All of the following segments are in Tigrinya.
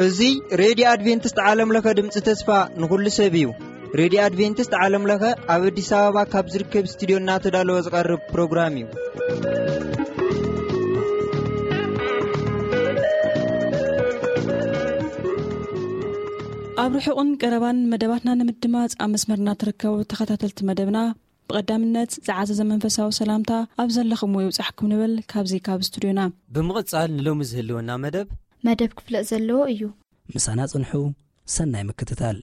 እዚ ሬድዮ ኣድቬንቲስት ዓለም ለኸ ድምፂ ተስፋ ንኹሉ ሰብ እዩ። ሬድዮ ኣድቬንቲስት ዓለም ለኸ ኣብ ኣዲስ ኣበባ ካብ ዝርከብ ስቱዲዮ እናተዳለወ ዝቐርብ ፕሮግራም እዩ። ኣብ ርሑቕን ቀረባን መደባትና ንምድማፅ ኣብ መስመርና ትርከቡ ተኸታተልቲ መደብና፣ ብቐዳምነት ዝዓዘዘ መንፈሳዊ ሰላምታ ኣብ ዘለኹምዎ ይብጻሕኩም ንብል ካብዚ ካብ ስቱድዮና። ብምቕጻል ንሎሚ ዝህልወና መደብ መደብ ክፍለጥ ዘለዎ እዩ። ምሳና ጽንሑ። ሰናይ ምክትታል።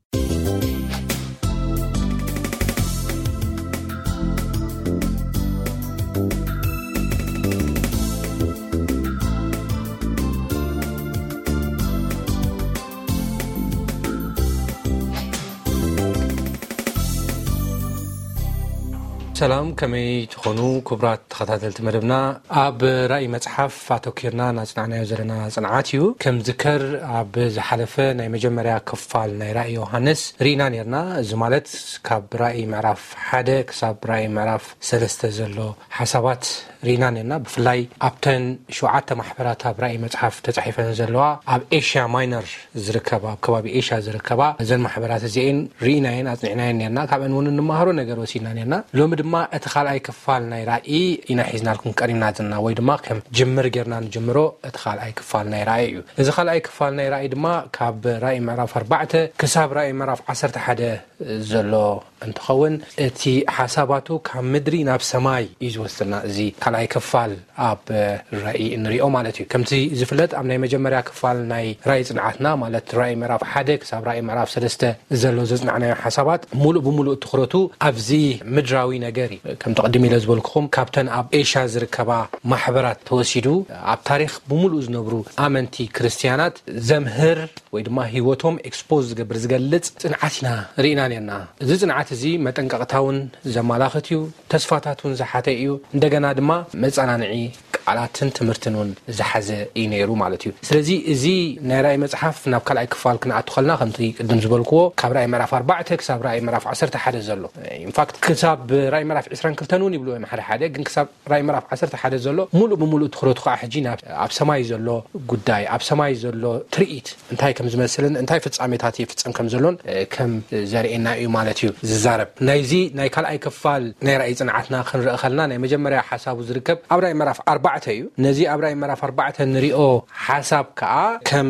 ሰላም፣ ከመይ ትኾኑ ክቡራት ተኸታተልቲ መደብና? ኣብ ራእይ መጽሓፍ ኣተኪርና እናጽናዕናዮ ዘለና ጽንዓት እዩ። ከም ዝከር ኣብ ዝሓለፈ ናይ መጀመርያ ክፋል ናይ ራእይ ዮሃንስ ርኢና ኔርና። እዚ ማለት ካብ ራእይ ምዕራፍ ሓደ ክሳብ ራእይ ምዕራፍ ሰለስተ ዘሎ ሓሳባት ርኢና ኔርና። ብፍላይ ኣብተን ሸውዓተ ማሕበራት ኣብ ራእይ መጽሓፍ ተጻሒፈን ዘለዋ ኣብ ኤሽያ ማይነር ዝርከባ፣ ኣብ ከባቢ ኤሽያ ዝርከባ እዘን ማሕበራት እዚኤን ርኢናየን ኣጽኒዕናየን ኔርና። ካብአን እውን እንመሃሮ ነገር ወሲድና ኔርና። ሎሚ ድማ እቲ ካልኣይ ክፋል ናይ ራእይ ኢና ሒዝናልኩም ቀሪብና ዘለና፣ ወይ ድማ ከም ጅምር ጌርና ንጅምሮ። እቲ ካልኣይ ክፋል ናይ ራእይ እዩ። እዚ ካልኣይ ክፋል ናይ ራእይ ድማ ካብ ራእይ ምዕራፍ ኣርባዕተ ክሳብ ራእይ ምዕራፍ ዓሰርተ ሓደ ዘሎ እንትኸውን፣ እቲ ሓሳባቱ ካብ ምድሪ ናብ ሰማይ እዩ ዝወስድና። እዚ ካልኣይ ክፋል ኣብ ራእይ እንሪኦ ማለት እዩ። ከምቲ ዝፍለጥ፣ ኣብ ናይ መጀመርያ ክፋል ናይ ራእይ ጽንዓትና፣ ማለት ራእይ ምዕራፍ ሓደ ክሳብ ራእይ ምዕራፍ ሰለስተ ዘሎ ዘጽናዕናዮ ሓሳባት፣ ሙሉእ ብሙሉእ ትኹረቱ ኣብዚ ምድራዊ ነገር እዩ። ከምቲ ቅድም ኢለ ዝበልኩኹም፣ ካብተን ኣብ ኤሽያ ዝርከባ ማሕበራት ተወሲዱ፣ ኣብ ታሪኽ ብሙሉእ ዝነብሩ ኣመንቲ ክርስትያናት ዘምህር ወይ ድማ ህይወቶም ኤክስፖዝ ዝገብር፣ ዝገልጽ ጽንዓት ኢና ርኢና ኔርና። እዚ ጽንዓት እዚ መጠንቀቕታ እውን ዘመላኽት እዩ፣ ተስፋታት እውን ዝሓተ እዩ። እንደገና ድማ መጸናንዒ ቃላትን ትምህርትን እውን ዝሓዘ እዩ ነይሩ ማለት እዩ። ስለዚ እዚ ናይ ራእይ መጽሓፍ ናብ ካልኣይ ክፋል ክንኣቱ ከለና፣ ከምቲ ቅድም ዝበልክዎ፣ ካብ ራእይ ምዕራፍ ኣርባዕተ ክሳብ ራእይ ምዕራፍ ዓሰርተ ሓደ ዘሎ፣ ኢንፋክት ክሳብ ራእይ ምዕራፍ ዕስራን ክልተን እውን ይብልዎ እዮም ሓደ ሓደ፣ ግን ክሳብ ራእይ ምዕራፍ ዓሰርተ ሓደ ዘሎ ሙሉእ ብሙሉእ ትኹረቱ ከዓ ሕጂ ናብ፣ ኣብ ሰማይ ዘሎ ጉዳይ፣ ኣብ ሰማይ ዘሎ ትርኢት እንታይ ከም ዝመስልን እንታይ ፍጻሜታት ይፍጸም ከም ዘሎን፣ እ፣ ከም ዘርእየና እዩ ማለት እዩ ዝዛረብ። ናይዚ ናይ ካልኣይ ክፋል ናይ ራእይ ጽንዓትና ክንርኢ ከለና፣ ናይ መጀመርያ ሓሳቡ ዝርከብ ኣብ ራእይ ምዕራፍ ኣርባዕተ እዩ። ነዚ ኣብ ራእይ ምዕራፍ ኣርባዕተ ንሪኦ ሓሳብ ከዓ ከም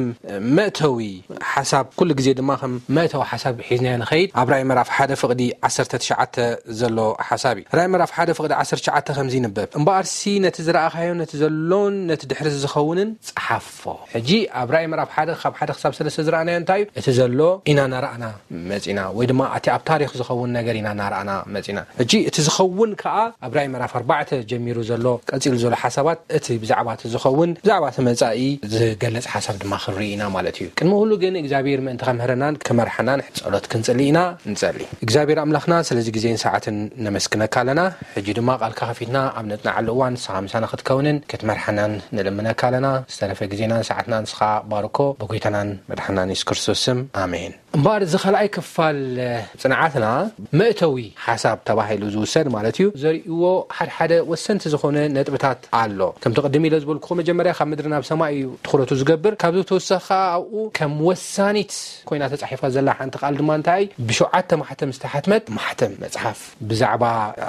መእተዊ ሓሳብ፣ ኩሉ ግዜ ድማ ከም መእተዊ ሓሳብ ሒዝናዮ ንኸይድ፣ ኣብ ራእይ ምዕራፍ ሓደ ፍቕዲ ዓሰርተ ትሽዓተ ዘሎ ሓሳብ እዩ። ራእይ ምዕራፍ ሓደ ፍቕዲ ዓሰርተ ትሽዓተ ከምዚ ይንበብ፣ "እምበኣርሲ ነቲ ዝረኣኻዮ፣ ነቲ ዘሎን ነቲ ድሕሪ ዝኸውንን ጸሓፎ።" ሕጂ ኣብ ራእይ ምዕራፍ ሓደ ካብ ሓደ ክሳብ ሰለስተ ዝረኣናዮ እንታይ እዩ? እቲ ዘሎ ኢና እናረኣና መጺና፣ ወይ ድማ እቲ ኣብ ታሪኽ ዝኸውን ነገር ኢና እናረኣና መጺና። ሕጂ እቲ ዝኸውን ከኣ ኣብ ራእይ ምዕራፍ ኣርባዕተ ጀሚሩ ዘሎ፣ ቀጺሉ ዘሎ ሓሳባት፣ እቲ ብዛዕባ እቲ ዝኸውን፣ ብዛዕባ እቲ መጻኢ ዝገልጽ ሓሳብ ድማ ክንርኢ ኢና ማለት እዩ። ቅድሚ ኩሉ ግን እግዚኣብሔር ምእንቲ ከምህረናን ክመርሓናን ጸሎት ክንጽሊ ኢና። ንጸሊ። እግዚኣብሔር ኣምላኽና፣ ስለዚ ግዜን ሰዓትን ነመስግነካ ኣለና። ሕጂ ድማ ቃልካ ከፊትና ኣብ ነጽንዓሉ እዋን ንስኻ ምሳና ክትከውንን ክትመርሓናን ንልምነካ ኣለና። ዝተረፈ ግዜናን ሰዓትናን ንስኻ ባርኮ፣ ብጎይታናን መድሓናን የሱስ ክርስቶስ ስም፣ ኣሜን። እምበኣር፣ እዚ ካልኣይ ክፋል ጽንዓትና፣ መእተዊ ሓሳብ ተባሂሉ ዝውሰድ ማለት እዩ፣ ዘርእይዎ ሓድሓደ ወሰንቲ ዝኾነ ነጥብታት ኣሎ። ከምቲ ቅድም ኢለ ዝበልኩኹም፣ መጀመርያ ካብ ምድሪ ናብ ሰማይ እዩ ትኹረቱ ዝገብር። ካብዚ ብተወሳኺ ከኣ ኣብኡ ከም ወሳኒት ኮይና ተጻሒፋ ዘላ ሓንቲ ቃል ድማ እንታይ? ብሸውዓተ ማሕተም ዝተሓትመት ማሕተም መጽሓፍ፣ ብዛዕባ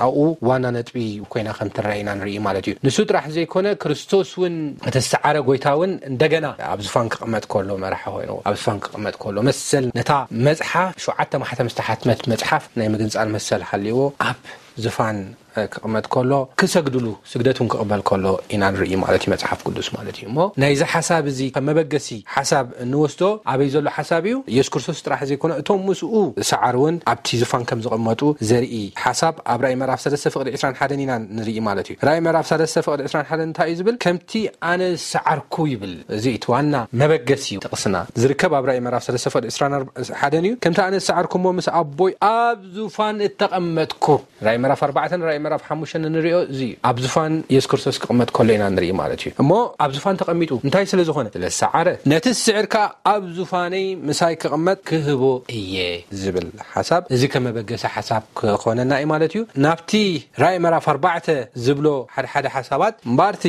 ኣብኡ ዋና ነጥቢ ኮይና ከም ትረአ ኢና ንርኢ ማለት እዩ። ንሱ ጥራሕ ዘይኮነ፣ ክርስቶስ እውን፣ እቲ ዝተዓረ ጎይታ እውን እንደገና ኣብ ዝፋን ክቕመጥ ከሎ፣ መራሒ ኮይኑ ኣብ ዝፋን ክቕመጥ ከሎ፣ መሰል ነታ መጽሓፍ፣ ሸውዓተ ማሕተም ዝተሓትመት መጽሓፍ ናይ ምግንጻል መሰል ሃልይዎ ኣብ ዝፋን፣ እ፣ ክቕመጥ ከሎ፣ ክሰግድሉ፣ ስግደት እውን ክቕበል ከሎ ኢና ንርኢ ማለት እዩ፣ መጽሓፍ ቅዱስ ማለት እዩ። እሞ ናይዚ ሓሳብ እዚ ከም መበገሲ ሓሳብ እንወስዶ ኣበይ ዘሎ ሓሳብ እዩ? ኢየሱስ ክርስቶስ ጥራሕ ዘይኮነ፣ እቶም ምስኡ ዝሰዓሩ እውን ኣብቲ ዝፋን ከም ዝቕመጡ ዘርኢ ሓሳብ ኣብ ራእይ ምዕራፍ ሰለስተ ፍቕዲ ዕስራን ሓደን ኢና ንርኢ ማለት እዩ። ራእይ ምዕራፍ ሰለስተ ፍቕዲ ዕስራን ሓደን እንታይ እዩ ዝብል? "ከምቲ ኣነ ዝሰዓርኩ" ይብል። እዚ እቲ ዋና መበገሲ እዩ። ጥቕስና ዝርከብ ኣብ ራእይ ምዕራፍ ሰለስተ ፍቕዲ ዕስራን ሓደን እዩ። "ከምቲ ኣነ ዝሰዓርኩ እሞ ምስ ኣቦይ ኣብ ዙፋን እተቐመጥኩ" ራእይ ምዕራፍ ኣርባዕተን ራእይ ምዕራፍ ሓሙሽተን እንሪኦ እዚ እዩ። ኣብ ዙፋን የሱስ ክርስቶስ ክቕመጥ ከሎ ኢና ንርኢ ማለት እዩ። እሞ ኣብ ዙፋን ተቐሚጡ እንታይ ስለ ዝኾነ? ስለ ዝሰዓረ። ነቲ ዝስዕር ከኣ ኣብ ዙፋነይ ምሳይ ክቕመጥ ክህቦ እየ ዝብል ሓሳብ፣ እዚ ከመበገሲ ሓሳብ ክኾነና እዩ ማለት እዩ። ናብቲ ራእይ ምዕራፍ ኣርባዕተ ዝብሎ ሓደ ሓደ ሓሳባት እምበኣር እቲ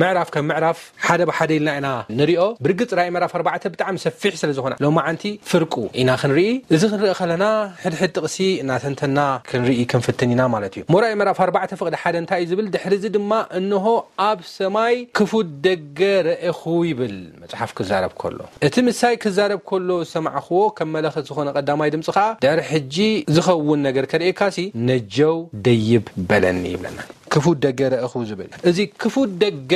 ምዕራፍ ከም ምዕራፍ ሓደ ብሓደ ኢልና ኢና ንሪኦ። ብርግጽ ራእይ ምዕራፍ ኣርባዕተ ብጣዕሚ ሰፊሕ ስለ ዝኾነ ሎማዓንቲ ፍርቁ ኢና ክንርኢ። እዚ ክንርኢ ከለና ሕድሕድ ጥቕሲ እናተንተና ክንርኢ ክንፍትን ኢና ማለት እዩ። እሞ ራእይ ምዕራፍ ኣርባዕተ ፍቕዲ ሓደ እንታይ እዩ ዝብል? ድሕሪ እዚ ድማ እንሆ ኣብ ሰማይ ክፉት ደገ ረኤኹ ይብል መጽሓፍ ክዛረብ ከሎ። እቲ ምሳይ ክዛረብ ከሎ ዝሰማዕኽዎ ከም መለኸት ዝኾነ ቀዳማይ ድምጺ ኸኣ ድሕሪ ሕጂ ዝኸውን ነገር ከርእየካሲ ነጀው ደይብ በለኒ ይብለና። ክፉት ደገ ረእኹ ዝብል እዚ ክፉት ደገ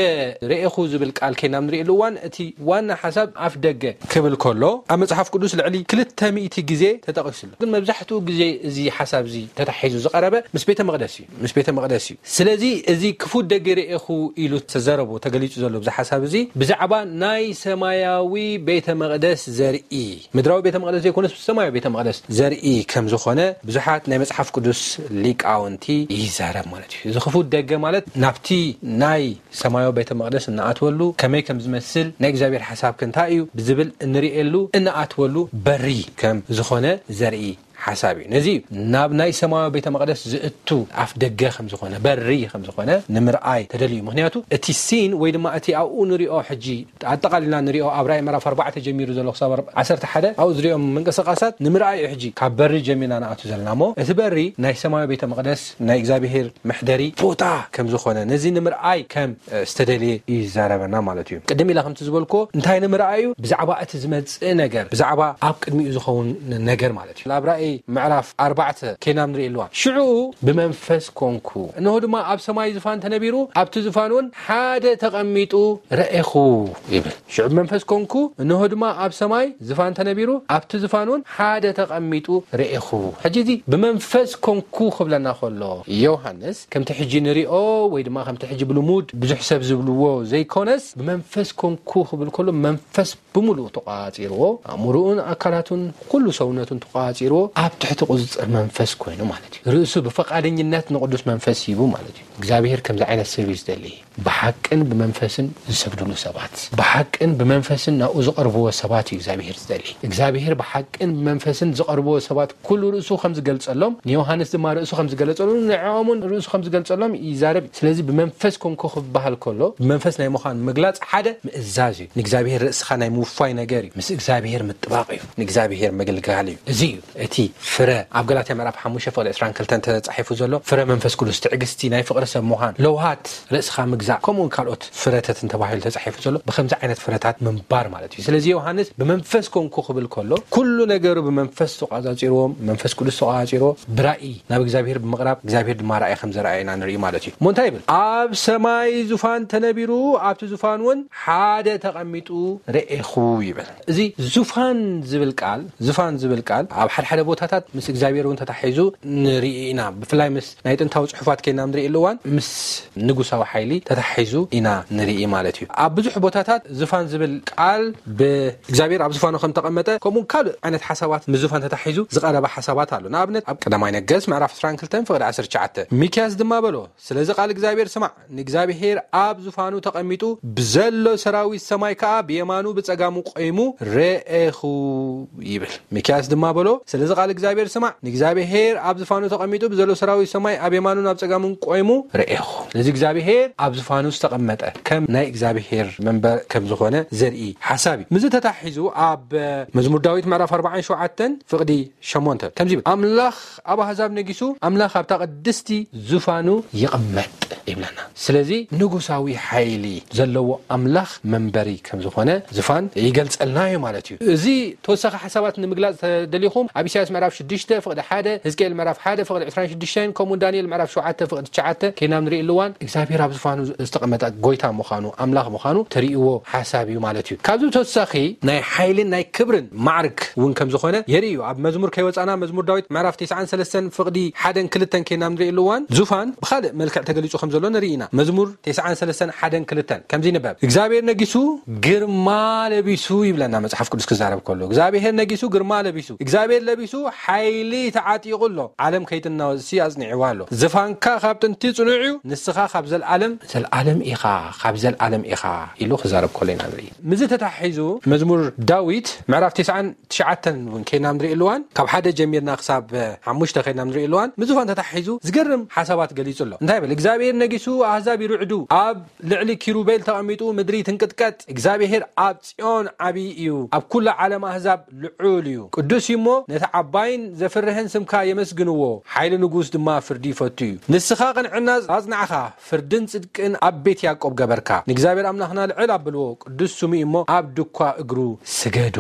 ረእኹ ዝብል ቃል ከይናብ ንርእየሉ እዋን እቲ ዋና ሓሳብ ኣፍ ደገ ክብል ከሎ ኣብ መጽሓፍ ቅዱስ ልዕሊ ክልተ ሚእቲ ግዜ ተጠቒሱ ኣሎ። ግን መብዛሕትኡ ግዜ እዚ ሓሳብ እዚ ተታሒዙ ዝቐረበ ምስ ቤተ መቕደስ እዩ፣ ምስ ቤተ መቕደስ እዩ። ስለዚ እዚ ክፉት ደገ ረእኹ ኢሉ ተዘረቦ ተገሊጹ ዘሎ ብዚ ሓሳብ እዚ ብዛዕባ ናይ ሰማያዊ ቤተ መቕደስ ዘርኢ፣ ምድራዊ ቤተ መቕደስ ዘይኮነስ ሰማያዊ ቤተ መቕደስ ዘርኢ ከም ዝኾነ ብዙሓት ናይ መጽሓፍ ቅዱስ ሊቃውንቲ ይዛረብ ማለት እዩ። እዚ ክፉት ደገ ማለት ናብቲ ናይ ሰማያዊ ቤተ መቕደስ እንኣትወሉ፣ ከመይ ከም ዝመስል፣ ናይ እግዚኣብሔር ሓሳብ ከ እንታይ እዩ ብዝብል እንርእየሉ፣ እንኣትወሉ በሪ ከም ዝኾነ ዘርኢ ሓሳብ እዩ። ነዚ እዩ ናብ ናይ ሰማያዊ ቤተ መቕደስ ዝእቱ ኣፍ ደገ ከም ዝኾነ፣ በሪ ከም ዝኾነ ንምርኣይ ተደልዩ። ምኽንያቱ እቲ ሲን ወይ ድማ እቲ ኣብኡ ንሪኦ ሕጂ ኣጠቓሊልና ንሪኦ ኣብ ራእይ ምዕራፍ ኣርባዕተ ጀሚሩ ዘሎ ክሳብ ዓሰርተ ሓደ ኣብኡ ዝሪኦም ምንቅስቃሳት ንምርኣይ እዩ። ሕጂ ካብ በሪ ጀሚርና ንኣቱ ዘለና እሞ እቲ በሪ ናይ ሰማያዊ ቤተ መቕደስ ናይ እግዚኣብሔር መሕደሪ ቦታ ከም ዝኾነ ነዚ ንምርኣይ ከም ዝተደልየ እዩ ይዛረበና ማለት እዩ። ቅድም ኢለ ከምቲ ዝበልኮ እንታይ ንምርኣይ እዩ? ብዛዕባ እቲ ዝመጽእ ነገር፣ ብዛዕባ ኣብ ቅድሚኡ ዝኸውን ነገር ማለት እዩ። ኣብ ራእይ ምዕራፍ ኣርባዕተ ከይናም ንርኢ ኣለዋ። ሽዑ ብመንፈስ ኮንኩ፣ እንሆ ድማ ኣብ ሰማይ ዝፋን ተነቢሩ፣ ኣብቲ ዝፋን እውን ሓደ ተቐሚጡ ረኤኹ ይብል። ሽዑ ብመንፈስ ኮንኩ፣ እንሆ ድማ ኣብ ሰማይ ዝፋን ተነቢሩ፣ ኣብቲ ዝፋን እውን ሓደ ተቐሚጡ ረኤኹ። ሕጂ እዚ ብመንፈስ ኮንኩ ክብለና ከሎ ዮሃንስ ከምቲ ሕጂ ንሪኦ ወይ ድማ ከምቲ ሕጂ ብልሙድ ብዙሕ ሰብ ዝብልዎ ዘይኮነስ ብመንፈስ ኮንኩ ክብል ከሎ መንፈስ ብምሉኡ ተቋጺርዎ፣ ኣእምሮኡን ኣካላቱን ኩሉ ሰውነቱን ተቋጺርዎ ኣብ ትሕቲ ቁጽጽር መንፈስ ኮይኑ ማለት እዩ። ርእሱ ብፈቃደኝነት ንቅዱስ መንፈስ ሂቡ ማለት እዩ። እግዚኣብሔር ከምዚ ዓይነት ሰብ እዩ ዝደሊ። ብሓቅን ብመንፈስን ዝሰግድሉ ሰባት፣ ብሓቅን ብመንፈስን ናብኡ ዝቐርብዎ ሰባት እዩ እግዚኣብሔር ዝደሊ። እግዚኣብሔር ብሓቅን ብመንፈስን ዝቐርብዎ ሰባት ኩሉ ርእሱ ከም ዝገልጸሎም፣ ንዮሃንስ ድማ ርእሱ ከም ዝገለጸሉ፣ ንዕኦም እውን ርእሱ ከም ዝገልጸሎም ይዛረብ እዩ። ስለዚ ብመንፈስ ኮንኩ ክበሃል ከሎ፣ ብመንፈስ ናይ ምዃን ምግላጽ ሓደ ምእዛዝ እዩ። ንእግዚኣብሔር ርእስኻ ናይ ምውፋይ ነገር እዩ። ምስ እግዚኣብሔር ምጥባቕ እዩ። ንእግዚኣብሔር ምግልጋል እዩ። እዚ እዩ እቲ ፍረ ኣብ ገላትያ ምዕራፍ ሓሙሽተ ፍቕዲ ዕስራን ክልተን ተጻሒፉ ዘሎ። ፍረ መንፈስ ቅዱስ፣ ትዕግስቲ፣ ናይ ፍቕሪ ሰብ ምዃን፣ ለውሃት፣ ርእስኻ ምግዛእ፣ ከምኡ እውን ካልኦት ፍረታት እንተባሂሉ ተጻሒፉ ዘሎ። ብኸምዚ ዓይነት ፍረታት ምንባር ማለት እዩ። ስለዚ ዮሃንስ ብመንፈስ ኮንኩ ክብል ከሎ፣ ኩሉ ነገሩ ብመንፈስ ተቋጻጺርዎ፣ መንፈስ ቅዱስ ተቋጻጺርዎ፣ ብራእይ ናብ እግዚኣብሔር ብምቕራብ፣ እግዚኣብሔር ድማ ራእይ ከም ዘርኣየና ንርኢ ማለት እዩ። እሞ እንታይ ይብል? ኣብ ሰማይ ዙፋን ተነቢሩ፣ ኣብቲ ዙፋን እውን ሓደ ተቐሚጡ ርኤኹ ይብል። እዚ ዙፋን ዝብል ቃል፣ ዙፋን ዝብል ቃል ኣብ ሓደ ሓደ ቦታታት ምስ እግዚኣብሔር እውን ተታሒዙ ንርኢ ኢና። ብፍላይ ምስ ናይ ጥንታዊ ጽሑፋት ከይና ንርእየሉ እዋን ምስ ንጉሳዊ ሓይሊ ተታሒዙ ኢና ንርኢ ማለት እዩ። ኣብ ብዙሕ ቦታታት ዙፋን ዝብል ቃል ብእግዚኣብሔር ኣብ ዙፋኑ ከም ተቐመጠ፣ ከምኡ ካልእ ዓይነት ሓሳባት ምስ ዙፋን ተታሒዙ ዝቐረበ ሓሳባት ኣሎ። ንኣብነት ኣብ ቀዳማይ ነገስት ምዕራፍ ዕስራን ክልተን ፍቕዲ ዓሰርተ ትሽዓተ፣ ሚክያስ ድማ በሎ፣ ስለዚ ቃል እግዚኣብሔር ስማዕ፣ ንእግዚኣብሔር ኣብ ዙፋኑ ተቐሚጡ ብዘሎ ሰራዊት ሰማይ ከኣ ብየማኑ ብጸጋሙ ቆይሙ ረኤኹ ይብል። ሚክያስ ድማ በሎ፣ ስለዚ ቃል እግዚኣብሔር ስማዕ፣ ንእግዚኣብሔር ኣብ ዝፋኑ ተቐሚጡ ብዘሎ ሰራዊት ሰማይ ኣብ የማኑን ኣብ ጸጋሙን ቆይሙ ረኤኹ። ስለዚ እግዚኣብሔር ኣብ ዝፋኑ ዝተቐመጠ ከም ናይ እግዚኣብሔር መንበር ከም ዝኾነ ዘርኢ ሓሳብ እዩ። ምስዚ ተታሒዙ ኣብ መዝሙር ዳዊት ምዕራፍ ኣርባዓን ሸውዓተን ፍቕዲ ሸሞንተ ከምዚ ይብል፣ ኣምላኽ ኣብ ኣህዛብ ነጊሱ፣ ኣምላኽ ኣብታ ቅድስቲ ዝፋኑ ይቕመጥ ይብለና። ስለዚ ንጉሳዊ ሓይሊ ዘለዎ ኣምላኽ መንበሪ ከም ዝኾነ ዝፋን ይገልጸልና እዩ ማለት እዩ። እዚ ተወሳኺ ሓሳባት ንምግላጽ ተደሊኹም ኣብ ኢሳያስ ምዕራፍ ሽዱሽተ ፍቕዲ ሓደ፣ ህዝቅኤል ምዕራፍ ሓደ ፍቕዲ ዕስራን ሽዱሽተን፣ ከምኡ ዳንኤል ምዕራፍ ሸውዓተ ፍቕዲ ትሽዓተ ከይናም ንርኢ እዋን እግዚኣብሔር ኣብ ዝፋኑ ዝተቐመጠ ጎይታ ምዃኑ፣ ኣምላኽ ምዃኑ ተርእይዎ ሓሳብ እዩ ማለት እዩ። ካብዚ ተወሳኺ ናይ ሓይልን ናይ ክብርን ማዕርግ እውን ከም ዝኾነ የርኢ እዩ። ኣብ መዝሙር ከይወጻና መዝሙር ዳዊት ምዕራፍ ተስዓን ሰለስተን ፍቕዲ ሓደን ክልተን ከይናም ንርኢ እዋን ዙፋን ብኻልእ መልክዕ ተገሊጹ ከም ዘሎ ንርኢ ኢና። መዝሙር ተስዓን ሰለስተን ሓደን ክልተን ከምዚ ይንበብ፣ እግዚኣብሔር ነጊሱ ግርማ ለቢሱ ይብለና መጽሓፍ ቅዱስ ክዛረብ ከሎ። እግዚኣብሔር ነጊሱ ግርማ ለቢሱ፣ እግዚኣብሔር ለቢሱ ሓይሊ ተዓጢቑ ኣሎ። ዓለም ከይትናወጽሲ ኣጽኒዕዋ ኣሎ። ዝፋንካ ካብ ጥንቲ ጽኑዕ እዩ፣ ንስኻ ካብ ዘልዓለም ዘልዓለም ኢኻ፣ ካብ ዘልዓለም ኢኻ ኢሉ ክዛረብ ከሎ ኢና ንርኢ። ምዚ ተታሒዙ መዝሙር ዳዊት ምዕራፍ ተስዓን ትሽዓተን እውን ከይና ንርኢ ኣለዋን፣ ካብ ሓደ ጀሚርና ክሳብ ሓሙሽተ ከይና ንርኢ ኣለዋን፣ ምዝፋን ተታሒዙ ዝገርም ሓሳባት ገሊጹ ኣሎ። እንታይ ይብል? እግዚኣብሔር ነጊሱ፣ ኣህዛብ ይርዕዱ፣ ኣብ ልዕሊ ኪሩቤል ተቐሚጡ፣ ምድሪ ትንቅጥቀጥ። እግዚኣብሔር ኣብ ጽዮን ዓብዪ እዩ፣ ኣብ ኩሉ ዓለም ኣህዛብ ልዑል እዩ። ቅዱስ እዩ እሞ ነቲ ዓባይን ዘፍርህን ስምካ የመስግንዎ። ሓይሊ ንጉስ ድማ ፍርዲ ይፈቱ እዩ። ንስኻ ቅንዕና ኣጽናዕኻ፣ ፍርድን ጽድቅን ኣብ ቤት ያዕቆብ ገበርካ። ንእግዚኣብሔር ኣምላኽና ልዕል ኣብልዎ፣ ቅዱስ ስሙ እዩ እሞ ኣብ ድኳ እግሩ ስገዱ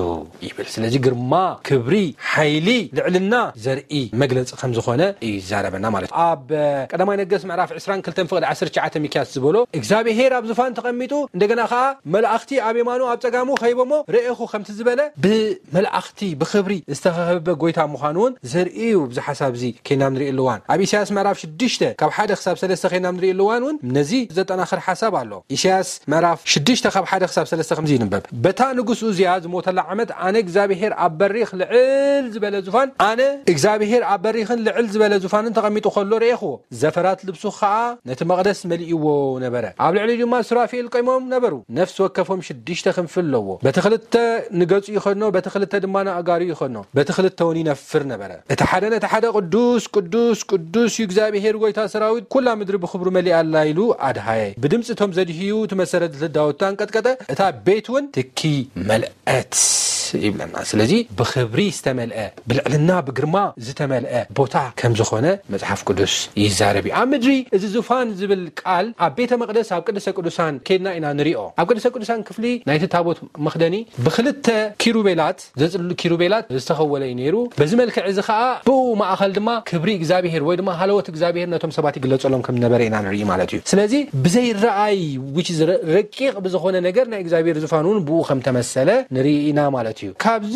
ይብል። ስለዚ ግርማ፣ ክብሪ፣ ሓይሊ፣ ልዕልና ዘርኢ መግለጺ ከም ዝኾነ ይዛረበና ማለት እዩ። ኣብ ቀዳማይ ነገስት ምዕራፍ ዕስራን ክልተን ፍቕዲ ዓሰርተ ትሽዓተ ሚክያስ ዝበሎ፣ እግዚኣብሔር ኣብ ዝፋን ተቐሚጡ፣ እንደገና ኸዓ መላእኽቲ ኣብ የማኑ ኣብ ጸጋሙ ኸይቦሞ ርኤኹ ከምቲ ዝበለ፣ ብመላእኽቲ ብኽብሪ ዝተኸበበ ጎይታ ምዃኑ እውን ዘርኢ እዩ። ብዚ ሓሳብ እዚ ከይና ንርኢ ኣለዋን፣ ኣብ ኢሳያስ ምዕራፍ ሽዱሽተ ካብ ሓደ ክሳብ ሰለስተ ከይና ንርኢ ኣለዋን እውን ነዚ ዘጠናኽር ሓሳብ ኣሎ። ኢሳያስ ምዕራፍ ሽዱሽተ ካብ ሓደ ክሳብ ሰለስተ ከምዚ ይንበብ፣ በታ ንጉስ ኡዝያ ዝሞተላ ዓመት ኣነ እግዚኣብሔር ኣብ በሪኽ ልዕል ዝበለ ዙፋን፣ ኣነ እግዚኣብሔር ኣብ በሪኽን ልዕል ዝበለ ዙፋንን ተቐሚጡ ከሎ ርኤኽዎ። ዘፈራት ልብሱ ኸዓ ነቲ መቕደስ መሊእዎ ነበረ። ኣብ ልዕሊኡ ድማ ሱራፌል ቆይሞም ነበሩ። ነፍሲ ወከፎም ሽዱሽተ ክንፊ ኣለዎ። በቲ ክልተ ንገጹ ይኸድኖ፣ በቲ ክልተ ድማ ንኣእጋሩ ይኸድኖ፣ በቲ ክልተ እውን ይነፍር ነበረ። እቲ ሓደ ነቲ ሓደ፣ ቅዱስ፣ ቅዱስ፣ ቅዱስ እዩ እግዚኣብሔር ጐይታ ሰራዊት፣ ኩላ ምድሪ ብኽብሩ መሊኣ ኣላ ኢሉ ኣድሃየ። ብድምጺ እቶም ዘድህዩ እቲ መሰረት ዳዊት ኣንቀጥቀጠ፣ እታ ቤት እውን ትኪ መልአ። እት ይብለና። ስለዚ ብኽብሪ ዝተመልአ፣ ብልዕልና ብግርማ ዝተመልአ ቦታ ከም ዝኾነ መጽሓፍ ቅዱስ ይዛረብ እዩ። ኣብ ምድሪ እዚ ዙፋን ዝብል ቃል ኣብ ቤተ መቕደስ ኣብ ቅድስተ ቅዱሳን ከድና ኢና ንሪኦ። ኣብ ቅድስተ ቅዱሳን ክፍሊ ናይቲ ታቦት መኽደኒ ብክልተ ኪሩቤላት፣ ዘጽልሉ ኪሩቤላት ዝተኸወለ እዩ ነይሩ። በዚ መልክዕ እዚ ኸኣ ብኡ ማእኸል ድማ ክብሪ እግዚኣብሔር ወይ ድማ ሃለወት እግዚኣብሔር ነቶም ሰባት ይግለጸሎም ከም ነበረ ኢና ንርኢ ማለት እዩ። ስለዚ ብዘይረኣይ፣ which is ረ-፣ ረቂቕ ብዝኾነ ነገር ናይ እግዚኣብሔር ዙፋን እውን ብኡ ከም ተመሰለ ንርኢ ኢና ማለት እዩ። ካብዚ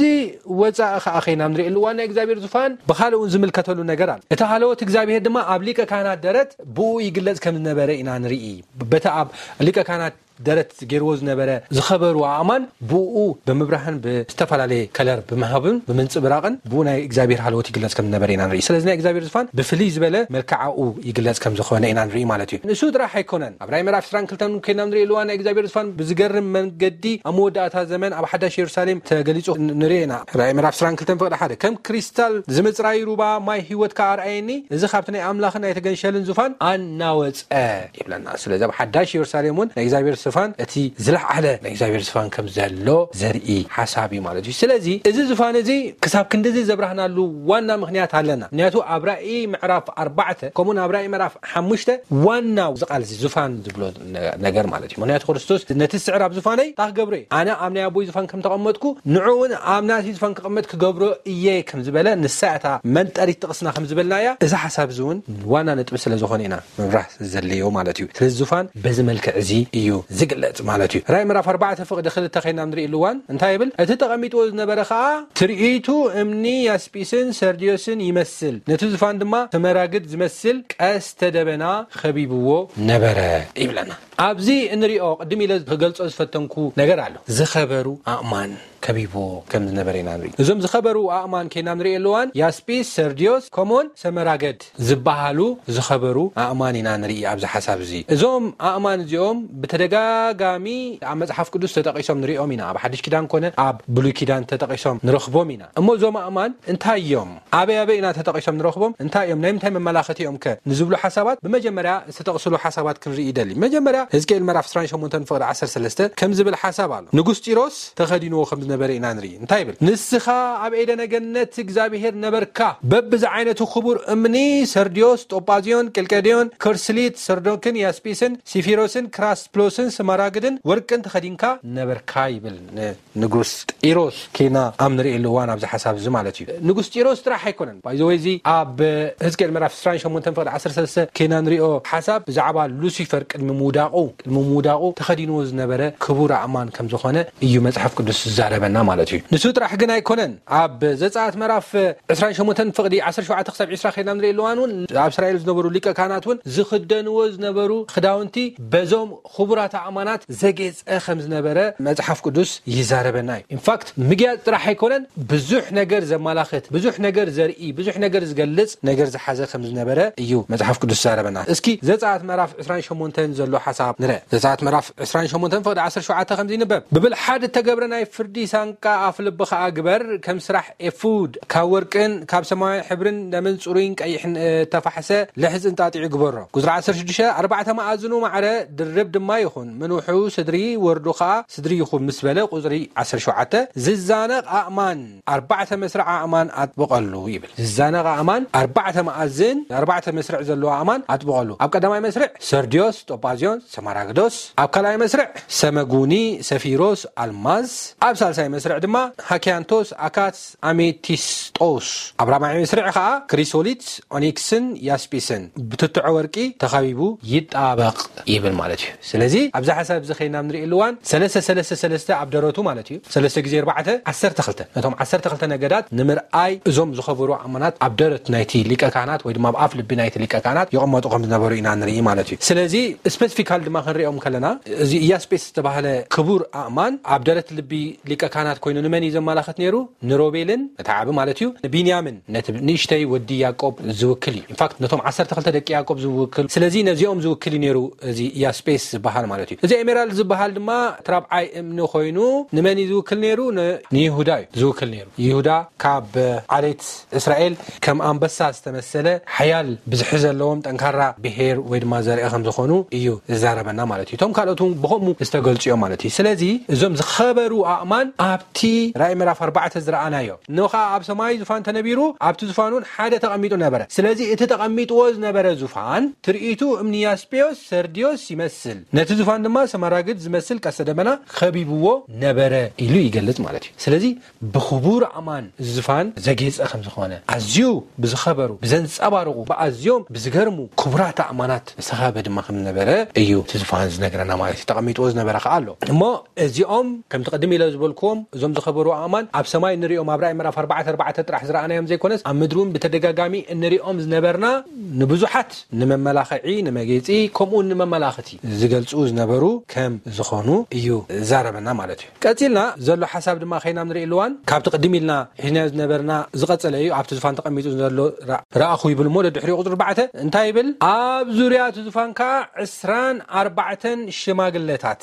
ወፃኢ ኸዓ ኸይና ንርኢ ኣለዋ ናይ እግዚኣብሔር ዙፋን ብኻልእ እውን ዝምልከተሉ ነገር ኣሎ። እቲ ሃለወት እግዚኣብሔር ድማ ኣብ ሊቀ ካህናት ደረት ብኡ ይግለጽ ከም ዝነበረ ኢና ንርኢ። በቲ ኣብ ሊቀ ካህናት ደረት ገይርዎ ዝነበረ ዝኸበሩ ኣእማን ብኡ ብምብራህን ብዝተፈላለየ ከለር ብምሃብን ብምንጽብራቕን ብኡ ናይ እግዚኣብሔር ሃለወት ይግለጽ ከም ዝነበረ ኢና ንርኢ። ስለዚ ናይ እግዚኣብሔር ዙፋን ብፍልይ ዝበለ መልክዓኡ ይግለጽ ከም ዝኾነ ኢና ንርኢ ማለት እዩ። ንሱ ጥራሕ ኣይኮነን። ኣብ ራእይ ምዕራፍ ዕስራን ክልተን ከይና ንርኢ ኣለዋ ናይ እግዚኣብሔር ዙፋን ብዝገርም መንገዲ ኣብ መወዳእታ ዘመን ኣብ ሓዳሽ የሩሳሌም ተገሊጹ ንርኢ ኢና። ራእይ ምዕራፍ ዕስራን ክልተን ፍቕዲ ሓደ፣ ከም ክሪስታል ዝምጽራይ ሩባ ማይ ህይወት ከኣ ኣርኣየኒ። እዚ ካብቲ ናይ ኣምላኽን ናይ ተገንሸልን ዙፋን ኣናወጸ ይብለና። ስለዚ ኣብ ሓዳሽ የሩሳሌም እውን ናይ እግዚኣብሔር ዙፋን እቲ ዝለዓለ ናይ እግዚኣብሔር ዙፋን ከም ዘሎ ዘርኢ ሓሳብ እዩ ማለት እዩ። ስለዚ እዚ ዙፋን እዚ ክሳብ ክንድዚ ዘብራህናሉ ዋና ምኽንያት ኣለና። ምኽንያቱ ኣብ ራእይ ምዕራፍ ኣርባዕተ ከምኡን ኣብ ራእይ ምዕራፍ ሓሙሽተ ዋናው እዚ ቃል እዚ ዙፋን ዝብሎ ነ-፣ ነገር ማለት እዩ። ምኽንያቱ ክርስቶስ ነቲ ስዕር ኣብ ዙፋነይ እንታይ ክገብሮ እየ? ኣነ ኣብ ናይ ኣቦይ ዙፋን ከም ተቐመጥኩ ንዑ እውን ኣብ ናቲ ዙፋን ክቕመጥ ክገብሮ እየ ከም ዝበለ ንሳ እታ መንጠሪት ጥቕስና ከም ዝበልናያ እዚ ሓሳብ እዚ እውን ዋና ነጥቢ ስለ ዝኾነ ኢና ምብራህ ዘድልዮ ማለት እዩ። ስለዚ ዙፋን በዚ መልክዕ እዚ እዩ ዝግለጽ ማለት እዩ። ራእይ ምዕራፍ ኣርባዕተ ፍቕዲ ክልተ ከይና ንርኢ ኣለዋን እንታይ ይብል? እቲ ተቐሚጥዎ ዝነበረ ኸኣ ትርኢቱ እምኒ ያስጲስን ሰርድዮስን ይመስል፣ ነቲ ዙፋን ድማ ስመራግድ ዝመስል ቀስተ ደበና ኸቢብዎ ነበረ ይብለና። ኣብዚ እንሪኦ ቅድም ኢለ ክገልጾ ዝፈተንኩ ነገር ኣሎ። ዝኸበሩ ኣእማን ከቢብዎ ከም ዝነበረ ኢና ንርኢ። እዞም ዝኸበሩ ኣእማን ከይና ንርኢ ኣለዋን ያስጲስ፣ ሰርድዮስ፣ ከምኡውን ሰመራገድ ዝበሃሉ ዝኸበሩ ኣእማን ኢና ንርኢ ኣብዚ ሓሳብ እዚ። እዞም ኣእማን እዚኦም ብተደጋጋሚ ኣብ መጽሓፍ ቅዱስ ተጠቒሶም ንሪኦም ኢና። ኣብ ሓድሽ ኪዳን ኮነ ኣብ ብሉይ ኪዳን ተጠቒሶም ንረኽቦም ኢና። እሞ እዞም ኣእማን እንታይ እዮም? ኣበይ ኣበይ ኢና ተጠቒሶም ንረኽቦም? እንታይ እዮም? ናይ ምንታይ መመላኸቲ እዮም ከ? ንዝብሉ ሓሳባት ብመጀመርያ ዝተጠቕስሉ ሓሳባት ክንርኢ ይደሊ። መጀመርያ ህዝቅኤል ምዕራፍ ዕስራን ሸሞንተን ፍቕዲ ዓሰርተ ሰለስተ ከም ዝብል ሓሳብ ኣሎ። ንጉስ ጢሮስ ተኸዲንዎ ከም ዝነበረ ኢና ንርኢ። እንታይ ይብል? ንስኻ ኣብ ኤደነ ገነት እግዚኣብሄር ነበርካ። በብዝዓይነቱ ክቡር እምኒ፣ ሰርድዮስ፣ ጦጳዝዮን፣ ቄልቄድዮን፣ ከርስሊት፣ ሰርዶክን ያስጲስን፣ ሲፊሮስን፣ ክራስፕሎስን፣ ስማራግድን ወርቅን ተኸዲንካ ነበርካ ይብል። ን-፣ ንጉስ ጢሮስ ኬና ኣብ ንርእየሉ እዋን ኣብዚ ሓሳብ እዚ ማለት እዩ። ንጉስ ጢሮስ ጥራሕ ኣይኮነን። ባይዘወይ እዚ ኣብ ህዝቅኤል ምዕራፍ ዕስራን ሸሞንተን ፍቕዲ ዓሰርተ ሰለስተ ኬና ንሪኦ ሓሳብ ብዛዕባ ሉሲፈር ቅድሚ ምውዳቑ ቅድሚ ምውዳቑ ተኸዲንዎ ዝነበረ ክቡር ኣእማን ከም ዝኾነ እዩ መጽሓፍ ቅዱስ ዝዛረበና ማለት እዩ። ንሱ ጥራሕ ግን ኣይኮነን። ኣብ ዘጸኣት ምዕራፍ ዕስራን ሸሞንተን ፍቕዲ ዓሰርተ ሸውዓተ ክሳብ ዕስራ ከይድና ንርኢ ኣለዋን እውን ኣብ እስራኤል ዝነበሩ ሊቀ ካህናት እውን ዝኽደንዎ ዝነበሩ ክዳውንቲ በዞም ክቡራት ኣእማናት ዘጌጸ ከም ዝነበረ መጽሓፍ ቅዱስ ይዛረበና እዩ። ኢንፋክት ምግያጽ ጥራሕ ኣይኮነን፣ ብዙሕ ነገር ዘመላኽት፣ ብዙሕ ነገር ዘርኢ፣ ብዙሕ ነገር ዝገልጽ ነገር ዝሓዘ ከም ዝነበረ እዩ መጽሓፍ ቅዱስ ዝዛረበና። እስኪ ዘጸኣት ምዕራፍ ዕስራን ሸሞንተን ዘሎ ሓሳብ ንርአ። ዘጸኣት ምዕራፍ ዕስራን ሸሞንተን ፍቕዲ ዓሰርተ ሸውዓተ ከምዚ ይንበብ፣ ብብልሓት እተገብረ ናይ ፍርዲ ሳንቃ ኣፍ ልቢ ኸኣ ግበር፣ ከም ስራሕ ኤፉድ ካብ ወርቅን ካብ ሰማያዊ ሕብርን ደምን ጽሩይን ቀይሕን እተፋሕሰ ልሕጺ እንጣጢዑ ግበሮ። ቁጽሪ ዓሰርተ ሽዱሽተ፣ ኣርባዕተ መኣዝኑ ማዕረ ድርብ ድማ ይኹን፣ ምንውሑ ስድሪ ወርዱ ኸኣ ስድሪ ይኹን ምስ በለ፣ ቁጽሪ ዓሰርተ ሸውዓተ፣ ዝዛነቕ ኣእማን ኣርባዕተ መስርዕ ኣእማን ኣጥብቐሉ ይብል። ዝዛነቕ ኣእማን ኣርባዕተ መኣዝን ኣርባዕተ መስርዕ ዘለዎ ኣእማን ኣጥብቐሉ። ኣብ ቀዳማይ መስርዕ ሰርድዮስ፣ ጦጳዝዮን፣ ሰማራግዶስ፣ ኣብ ካልኣይ መስርዕ ሰመጉኒ፣ ሰፊሮስ፣ ኣልማዝ፣ ኣብ ሳልሳይ መስርዕ ድማ ሃኪያንቶስ፣ ኣካስ፣ ኣሜቲስጦስ፣ ኣብ ራብዓይ መስርዕ ኸኣ ክሪሶሊት፣ ኦኒክስን ያስጲስን ብትትዖ ወርቂ ተኸቢቡ ይጣበቕ ይብል ማለት እዩ። ስለዚ ኣብዚ ሓሳብ እዚ ኸይና ንርእየሉ እዋን ሰለስተ ሰለስተ ሰለስተ ኣብ ደረቱ ማለት እዩ። ሰለስተ ግዜ ኣርባዕተ፣ ዓሰርተ ክልተ። ነቶም ዓሰርተ ክልተ ነገዳት ንምርኣይ እዞም ዝኸበሩ ኣእማናት ኣብ ደረት ናይቲ ሊቀ ካህናት ወይ ድማ ኣብ ኣፍ ልቢ ናይቲ ሊቀ ካህናት ይቕመጡ ከም ዝነበሩ ኢና ንርኢ ማለት እዩ። ስለዚ ስፔሲፊካል ድማ ክንሪኦም ከለና እዚ ኢያስጴስ ዝተባህለ ክቡር ኣእማን ኣብ ደረት ልቢ ሊቀ ካህናት ኮይኑ ንመን እዩ ዘመላኽት ነይሩ? ንሮቤልን፣ እቲ ዓቢ ማለት እዩ፣ ንቢንያምን፣ ነቲ ንእሽተይ ወዲ ያዕቆብ ዝውክል እዩ። ኢንፋክት ነቶም ዓሰርተ ክልተ ደቂ ያዕቆብ ዝውክል፣ ስለዚ ነዚኦም ዝውክል እዩ ነይሩ እዚ ኢያስጴስ ዝበሃል ማለት እዩ። እዚ ኤሜራልድ ዝበሃል ድማ እቲ ራብዓይ እምኒ ኮይኑ ንመን እዩ ዝውክል ነይሩ? ን-፣ ንይሁዳ እዩ ዝውክል ነይሩ። ይሁዳ ካብ ዓሌት እስራኤል ከም ኣንበሳ ዝተመሰለ ሓያል ብዝሒ ዘለዎም ጠንካራ ብሄር ወይ ድማ ዘርኢ ከም ዝኾኑ እዩ ዝዛረበና ማለት እዩ። እቶም ካልኦት እውን ብኸምኡ ዝተገልጹ እዮም ማለት እዩ። ስለዚ እዞም ዝኸበሩ ኣእማን ኣብቲ ራእይ ምዕራፍ ኣርባዕተ ዝረኣናዮ፣ እነሆ ኸኣ ኣብ ሰማይ ዙፋን ተነቢሩ፣ ኣብቲ ዙፋን እውን ሓደ ተቐሚጡ ነበረ። ስለዚ እቲ ተቐሚጥዎ ዝነበረ ዙፋን ትርኢቱ እምኒ ያስጴዮስ፣ ሰርድዮስ ይመስል፣ ነቲ ዙፋን ድማ ሰማራግድ ዝመስል ቀስተ ደመና ከቢብዎ ነበረ ኢሉ ይገልጽ ማለት እዩ። ስለዚ ብኽቡር ኣእማን እዚ ዙፋን ዘጌጸ ከም ዝኾነ፣ ኣዝዩ ብዝኸበሩ፣ ብዘንጸባርቑ፣ ብኣዝዮም ብዝገርሙ ክቡራት ኣእማናት ዝተኸበበ ድማ ከም ዝነበረ እዩ እቲ ዙፋን ዝነግረና ማለት እዩ። ተቐሚጥዎ ዝነበረ ከኣ ኣሎ። እሞ እዚኦም ከምቲ ቅድም ኢለ ዝበልክዎም እዞም ዝኸበሩ ኣእማን ኣብ ሰማይ እንሪኦም ኣብ ራእይ ምዕራፍ ኣርባዕተ ኣርባዕተ ጥራሕ ዝረኣናዮም ዘይኮነስ ኣብ ምድሪ እውን ብተደጋጋሚ እንሪኦም ዝነበርና ንብዙሓት ንመመላኽዒ፣ ንመጌጺ፣ ከምኡ እውን ንመመላኽቲ ዝገልጹ ዝነበሩ ከም ዝኾኑ እዩ ዝዛረበና ማለት እዩ። ቀጺልና ዘሎ ሓሳብ ድማ ኸይና ንርኢ ኣለዋን ካብቲ ቅድም ኢልና ሒዝናዮ ዝነበርና ዝቐጸለ እዩ። ኣብቲ ዙፋን ተቐሚጡ ዘሎ ራ-፣ ረኣኹ ይብል እሞ ደድሕሪኡ ቁጽሪ ኣርባዕተ እንታይ ይብል? ኣብ ዙርያ እቲ ዙፋን ከኣ ዕስራን ኣርባዕተን ሽማግለታት።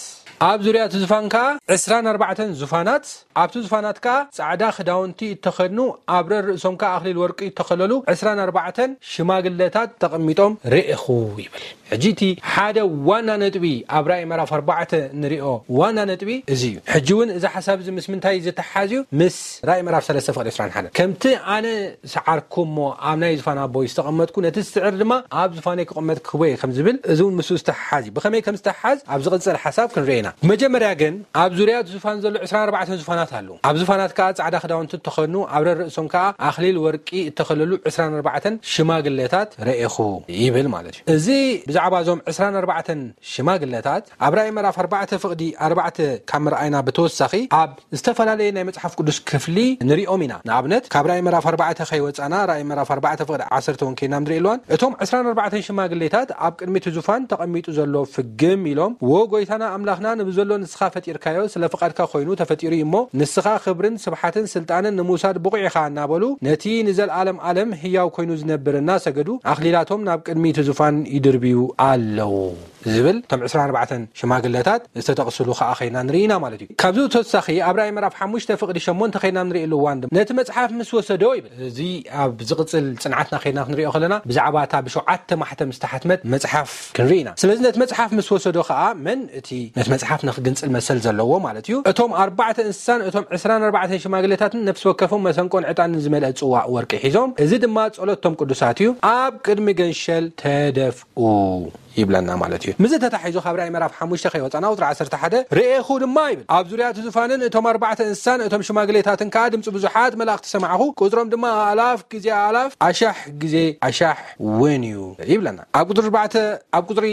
ኣብ ዙርያ እቲ ዙፋን ከኣ ዕስራን ኣርባዕተን ዙፋናት፣ ኣብቲ ዙፋናት ከኣ ጻዕዳ ክዳውንቲ እተኸድኑ፣ ኣብ ረር ርእሶም ከኣ ኣኽሊል ወርቂ እተኸለሉ ዕስራን ኣርባዕተን ሽማግለታት ተቐሚጦም ርኢኹ ይብል። ሕጂ እቲ ሓደ ዋና ነጥቢ ኣብ ራእይ ምዕራፍ ኣርባዕተ ንሪኦ ዋና ነጥቢ እዚ እዩ። ሕጂ እውን እዚ ሓሳብ እዚ ምስ ምንታይ ዝተሓሓዝ እዩ? ምስ ራእይ ምዕራፍ ሰለስተ ፍቕዲ ዕስራን ሓደን። ከምቲ ኣነ ሰዓርኩ እሞ ኣብ ናይ ዙፋን ኣቦይ ዝተቐመጥኩ፣ ነቲ ዝስዕር ድማ ኣብ ዙፋነይ ክቕመጥ ክህቦ እየ ከም ዝብል፣ እዚ እውን ምስኡ ዝተሓሓዝ እዩ። ብኸመይ ከም ዝተሓሓዝ ኣብ ዝቕጽል ሓሳብ ክንርኢ ኢና። ብመጀመርያ ግን ኣብ ዙርያ እቲ ዙፋን ዘሎ ዕስራን ኣርባዕተን ዙፋናት ኣለዉ። ኣብ ዙፋናት ከኣ ጻዕዳ ክዳውንቲ እተኸድኑ፣ ኣብ ረርእሶም ከኣ ኣኽሊል ወርቂ እተኸለሉ ዕስራን ኣርባዕተን ሽማግለታት ረኤኹ ይብል ማለት እዩ። እዚ ብዛዕባ እዞም ዕስራን ኣርባዕተን ሽማግለታት ኣብ ራእይ ምዕራፍ ኣርባዕተ ፍቕዲ ኣርባዕተ ካብ ምርኣይና ብተወሳኺ ኣብ ዝተፈላለየ ናይ መጽሓፍ ቅዱስ ክፍሊ ንሪኦም ኢና። ንኣብነት ካብ ራእይ ምዕራፍ ኣርባዕተ ከይወጻና ራእይ ምዕራፍ ኣርባዕተ ፍቕዲ ዓሰርተ እውን ከይና ንርኢ ኣለዋን። እቶም ዕስራን ኣርባዕተን ሽማግሌታት ኣብ ቅድሚ እቲ ዙፋን ተቐሚጡ ዘሎ ፍግም ኢሎም፣ "ዎ ጎይታና ኣምላኽና፣ ንብዘሎ ንስኻ ፈጢርካዮ ስለ ፍቓድካ ኮይኑ ተፈጢሩ እዩ እሞ፣ ንስኻ ክብርን ስብሓትን ስልጣንን ንምውሳድ ብቑዕ ኢኻ" እናበሉ ነቲ ንዘለኣለም ዓለም ህያው ኮይኑ ዝነብር እናሰገዱ ኣኽሊላቶም ናብ ቅድሚ እቲ ዙፋን ይድርብዩ ኣለዉ። ዝብል እቶም ዕስራን ኣርባዕተን ሽማግለታት ዝተጠቕስሉ ከኣ ኸይና ንርኢ ኢና ማለት እዩ። ካብዚ ተወሳኺ ኣብ ራእይ ምዕራፍ ሓሙሽተ ፍቕዲ ሸሞንተ ኸይና ንርኢ ኣለዋን ድማ ነቲ መጽሓፍ ምስ ወሰዶ ይብል። እዚ ኣብ ዝቕጽል ጽንዓትና ኸይና ክንሪኦ ከለና ብዛዕባ እታ ብሸውዓተ ማሕተም ዝተሓትመት መጽሓፍ ክንርኢ ኢና። ስለዚ ነቲ መጽሓፍ ምስ ወሰዶ ኸኣ መን እቲ ነቲ መጽሓፍ ንኽግንጽል መሰል ዘለዎ ማለት እዩ። እቶም ኣርባዕተ እንስሳን እቶም ዕስራን ኣርባዕተን ሽማግለታትን ነፍሲ ወከፎም መሰንቆን ዕጣንን ዝመልአ ጽዋእ ወርቂ ሒዞም፣ እዚ ድማ ጸሎት እቶም ቅዱሳት እዩ፣ ኣብ ቅድሚ ገንሸል ተደፍኡ። ይብለና ማለት እዩ። ምዚ ተታሒዙ ካብ ራእይ ምዕራፍ ሓሙሽተ ከይወፃና ቁፅሪ ዓሰርተ ሓደ፣ ርኤኹ ድማ ይብል፣ ኣብ ዙርያ እቲ ዙፋንን እቶም ኣርባዕተ እንስሳን እቶም ሽማግሌታትን ከዓ ድምፂ ብዙሓት መላእኽቲ ሰማዕኹ፣ ቁፅሮም ድማ ኣእላፍ ግዜ ኣእላፍ ኣሻሕ ግዜ ኣሻሕ እውን እዩ ይብለና። ኣብ ቁፅሪ ኣርባዕተ ኣብ ቁፅሪ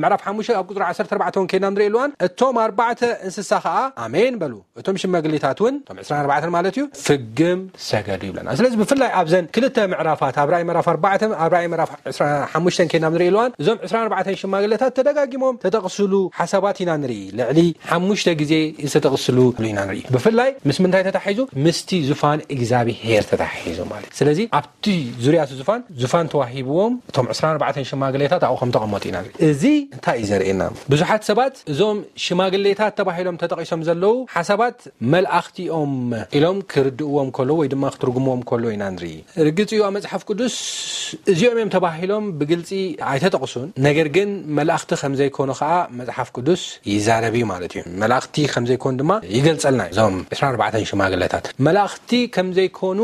ምዕራፍ ሓሙሽተ ኣብ ቁፅሪ ዓሰርተ ኣርባዕተ እውን ከይና ንርኢ ኣለዋን፣ እቶም ኣርባዕተ እንስሳ ከዓ ኣሜን በሉ፣ እቶም ሽማግሌታት እውን እቶም ዕስራን ኣርባዕተን ማለት እዩ ፍግም ሰገዱ ይብለና። ስለዚ ብፍላይ ኣብዘን ክልተ ምዕራፋት ኣብ ራእይ ምዕራፍ ኣርባዕተ ኣብ ራእይ ምዕራፍ ሓሙሽተ ከይና ንርኢ ኣለዋን፣ እዞም ዕስራን ኣርባዕተን ሽማግሌታት ተደጋጊሞም ተጠቕስሉ ሓሳባት ኢና ንርኢ። ልዕሊ ሓሙሽተ ግዜ ዝተጠቕስሉ ኢና ንርኢ። ብፍላይ ምስ ምንታይ ተታሒዙ? ምስቲ ዙፋን እግዚኣብሄር ተታሒዙ ማለት። ስለዚ ኣብቲ ዙርያ እቲ ዙፋን ዙፋን ተዋሂብዎም እቶም ዕስራን ኣርባዕተን ሽማግሌታት ኣብኡ ከም ተቐመጡ ኢና ንርኢ። እዚ እንታይ እዩ ዘርእየና? ብዙሓት ሰባት እዞም ሽማግሌታት ተባሂሎም ተጠቒሶም ዘለዉ ሓሳባት መልኣኽቲ እዮም ኢሎም ክርድእዎም ከሎ ወይ ድማ ክትርጉምዎም ከሎ ኢና ንርኢ። ርግጽ እዩ ኣብ መጽሓፍ ቅዱስ እዚኦም እዮም ተባሂሎም ብግልጺ ኣይተጠቕሱን። ነገር ግን መላእኽቲ ከም ዘይኮኑ ከኣ መጽሓፍ ቅዱስ ይዛረብ እዩ ማለት እዩ። መላእኽቲ ከም ዘይኮኑ ድማ ይገልጸልና እዩ። እዞም ዕስራን ኣርባዕተን ሽማግለታት መላእኽቲ ከም ዘይኮኑ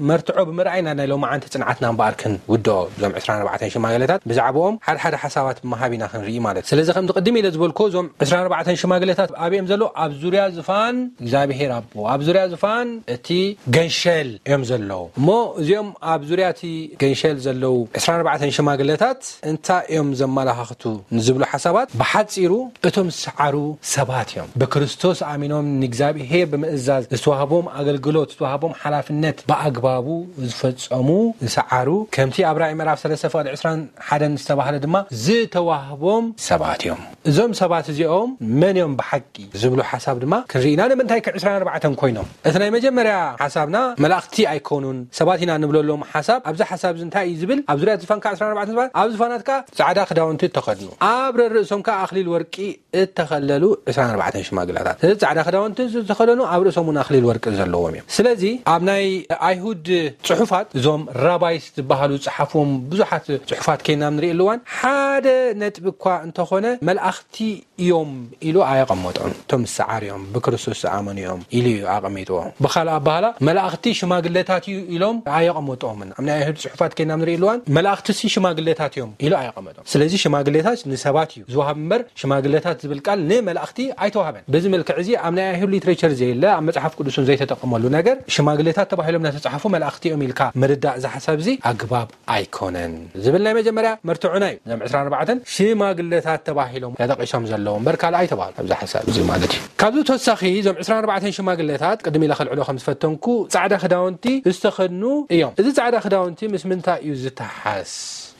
መርትዖ ብምርኣይ ኢና ናይ ሎማዓንቲ ጽንዓትና እምበኣር ክንውድኦ። እዞም ዕስራን ኣርባዕተን ሽማግለታት ብዛዕባኦም ሓደ ሓደ ሓሳባት ብምሃብ ኢና ክንርኢ ማለት እዩ። ስለዚ ከምቲ ቅድም ኢለ ዝበልኩ እዞም ዕስራን ኣርባዕተን ሽማግለታት ኣብኦም ዘለዉ ኣብ ዙርያ ዙፋን እግዚኣብሄር ኣቦ ኣብ ዙርያ ዙፋን እቲ ገንሸል እዮም ዘለዉ። እሞ እዚኦም ኣብ ዙርያ እቲ ገንሸል ዘለዉ ዕስራን ኣርባዕተን ሽማግለታት እንታይ እዮም ዘመላኻኽቱ ንዝብሉ ሓሳባት ብሓጺሩ እቶም ዝሰዓሩ ሰባት እዮም። ብክርስቶስ ኣሚኖም ንእግዚኣብሄር ብምእዛዝ ዝተዋህቦም ኣገልግሎት ዝተዋህቦም ሓላፍነት ብኣግባቡ ዝፈጸሙ ዝሰዓሩ ከምቲ ኣብ ራእይ ምዕራፍ ሰለስተ ፍቕዲ ዕስራን ሓደን ዝተባህለ ድማ ዝተዋህቦም ሰባት እዮም። እዞም ሰባት እዚኦም መን እዮም ብሓቂ ዝብሉ ሓሳብ ድማ ክንርኢና ንምንታይ ከ ዕስራን ኣርባዕተን ኮይኖም? እቲ ናይ መጀመርያ ሓሳብና መላእኽቲ ኣይኮኑን ሰባት ኢና ንብለሎም ሓሳብ ኣብዚ ሓሳብ እዚ እንታይ እዩ ዝብል ኣብ ዙርያ ዝፋንካ ዕስራን ኣርባዕተን ሰባት ኣብ ዝፋናት ከዓ ፃዕዳ ክዳውንቲ እተኸድኑ ኣብ ርእሶም ከዓ ኣኽሊል ወርቂ እተኸለሉ ዕስራን ኣርባዕተን ሽማግላታት እዚ ፃዕዳ ክዳውንቲ ዝተኸደኑ ኣብ ርእሶም እውን ኣኽሊል ወርቂ ዘለዎም እዮም። ስለዚ ኣብ ናይ ኣይሁድ ፅሑፋት እዞም ራባይስ ዝበሃሉ ዝፀሓፍዎም ብዙሓት ፅሑፋት ከይና ንርኢ ኣለዋን ሓደ ነጥቢ እኳ እንተኾነ መላእኽቲ እዮም ኢሉ ኣየቐመጦም። እቶም ዝሰዓር እዮም ብክርስቶስ ዝኣመኑ እዮም ኢሉ እዩ ኣቐሚጥዎ። ብኻልእ ኣባህላ መላእኽቲ ሽማግለታት እዩ ኢሎም ኣየቐመጥኦምን። ኣብ ናይ ኣይሁድ ፅሑፋት ከይና ንርኢ ኣለዋን መላእኽቲ ሲ ሽማግለታት እዮም ኢሉ ኣየቐመጦም። ስለዚ ሽማግለታት ንሰባት እዩ ዝወሃብ እምበር ሽማግለታት ዝብል ቃል ንመላእኽቲ ኣይተዋህበን። በዚ መልክዕ እዚ ኣብ ናይ ኣይሁድ ሊትሬቸር ዘየለ ኣብ መፅሓፍ ቅዱስን ዘይተጠቀመሉ ነገር ሽማግለታት ተባሂሎም እናተፃሓፉ መላእኽቲ እዮም ኢልካ ምርዳእ እዚ ሓሳብ እዚ ኣግባብ ኣይኮነን ዝብል ናይ መጀመርያ መርትዑና እዩ። እዞም ዕስራን ኣርባዕተን ሽማግለታት ተባሂሎም ተጠቂሶም ዘለዉ እምበር ካልእ ኣይተባህሉ ኣብዚ ሓሳብ እዚ ማለት እዩ። ካብዚ ተወሳኺ እዞም ዕስራን ኣርባዕተን ሽማግለታት ቅድም ኢለ ከልዕሎ ከም ዝፈተንኩ ፃዕዳ ክዳውንቲ ዝተኸድኑ እዮም። እዚ ፃዕዳ ክዳውንቲ ምስ ምንታይ እዩ ዝተሓስ?